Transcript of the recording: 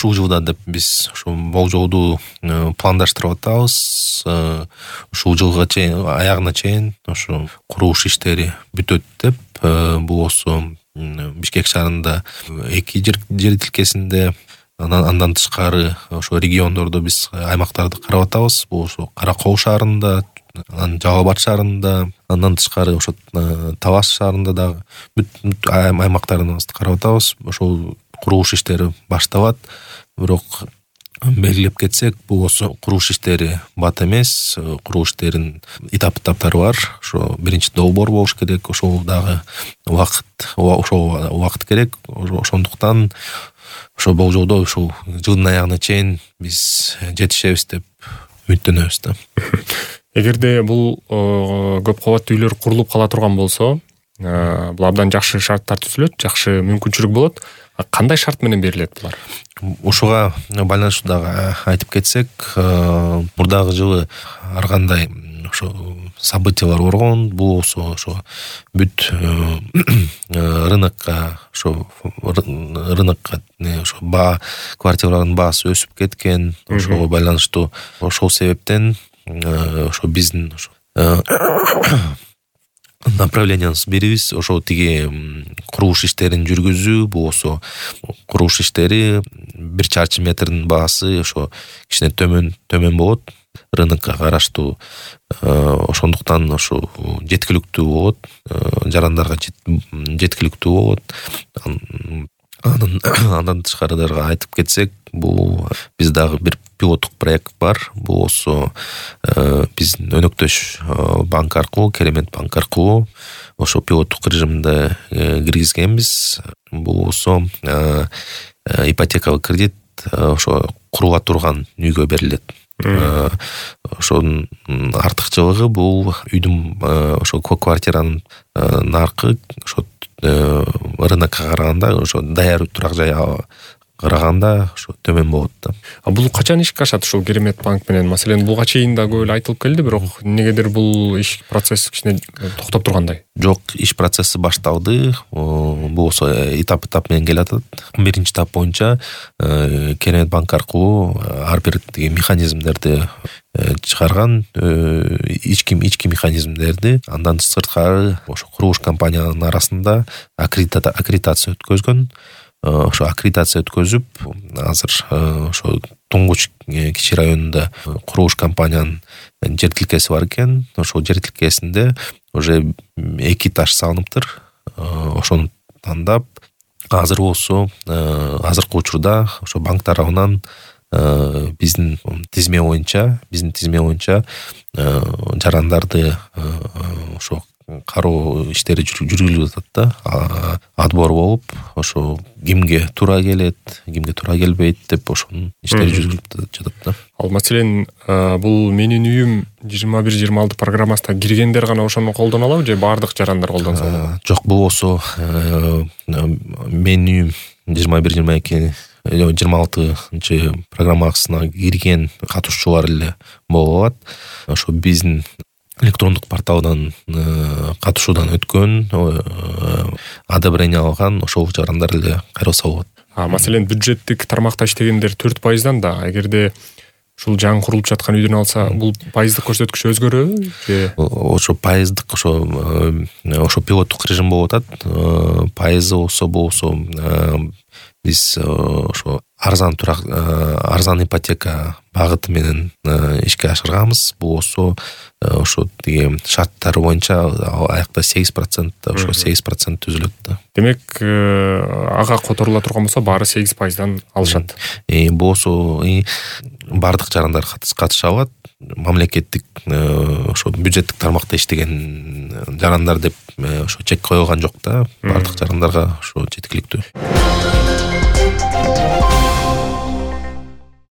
ушул жылда деп биз ушу болжолду пландаштырып атабыз. Ушул жылга чейин, аягына чейин ушу курулуш иштери бүтөт деп. Бул болсо Бишкек шаарында 2 жер тилкесинде, андан тышкары ошо региондордо биз аймактарды карап атабыз. Бул ошо Кара Кол шаарында, Жалал Абад шаарында, андан тышкары ошо Талас шаарында дагы бүт аймактарыбызды карап атабыз. Ошол курулуш иштери башталат. Бирок белгилеп кетсек, бул болсо курулуш иштери бат эмес. Курулуш иштеринин этаптары бар. Ошо биринчи долбоор болуш керек. Ошол дагы убакыт керек. Ошондуктан ошо болжолдо ушул жылдын аягына чейин биз жетишебиз деп үмүттөнөбүз да. Эгерде бул көп кабаттуу үйлөр курулуп кала турган болсо, бул абдан жакшы шарттар түзүлөт, жакшы мүмкүнчүлүк болот. Кандай шарт менен берилет булар? Ушуга байланыштуу дагы айтып кетсек, мурдагы жылы ар кандай ошо событиялар болгон. Бул болсо ошо бүт рынокко ошо квартиралардын баасы өсүп кеткен. Ошого байланыштуу ошол себептен ошо биздин направлениябыз бирибиз. Ошо тиги курулуш иштерин жүргүзүү. Бул болсо курулуш иштери 1 чарчы метрдин баасы ошо кичине төмөн болот. Рынокко караштуу. Ошондуктан ошо жеткиликтүү болот. Жарандарга жеткиликтүү болот. Андан тышкары дагы айтып кетсек, бул биз дагы бир пилоттук проект бар. Бул болсо биздин өнөктөш банк аркылуу, Керемет банк аркылуу ошо пилоттук режимде киргизгенбиз. Бул болсо ипотекалык кредит ошо курула турган үйгө берилет. Ошонун артыкчылыгы бул үйдүн ошо квартиранын наркы ошо рынокко караганда, ошо даяр турак жайга караганда ошо төмөн болот да. Бул качан ишке ашат ушул Керемет банк менен? Маселен, буга чейин да көп эле айтылып келди, бирок негедир бул иш процесс кичине токтоп тургандай? Жок, иш процесси башталды. Бул болсо этап менен келатат. Биринчи этап боюнча Керемет банк аркылуу ар бир механизмдерди чыгарган, ички механизмдерди. Андан сырткары ошо курулуш компанияларынын арасында аккредитация өткөзгөн. Ошо аккредитация өткөзүп, азыр ошо Туңгуч кичи районунда курулуш компаниянын жер тилкеси бар экен. Ошол жер тилкесинде уже 2 этаж салыныптыр. Ошону тандап, азыр болсо азыркы учурда ошо банк тарабынан биздин тизме боюнча жарандарды ошо кароо иштери жүргүзүлүп атат да. Отбор болуп, ошо кимге туура келет, кимге туура келбейт деп ошонун иштери жүргүзүлүп жатат да. Ал маселен, бул менин үйүм 21-26 программасына киргендер гана ошону колдоно алабы же баардык жарандар колдонсо болобу? Жок, бул болсо менин үйүм 21-22 26 программасына кирген катышуучулар эле боло алат. Ошо биздин электрондук порталдан катышуудан өткөн, одобрение алган ошол жарандар эле кайрылса болот. Маселен, бюджеттик тармакта иштегендер 4%-дан да, эгерде ушул жаңы курулуп жаткан үйдөн алса, бул пайыздык көрсөткүч өзгөрөбү же? Ошо пайыздык ошо пилоттук режим болуп атат. Пайызы болсо биз ошо арзан ипотека багыты менен ишке ашырганбыз. Бул болсо ошо тиги шарттары боюнча аякта 8%, ошо 8% түзүлөт да. Демек, ага которула турган болсо баары 8%дан алышат. Бул болсо бардык жарандар катыша алат. Мамлекеттик ошо бюджеттик тармакта иштеген жарандар деп ошо чек коюлган жок да. Бардык жарандарга ошо жеткиликтүү.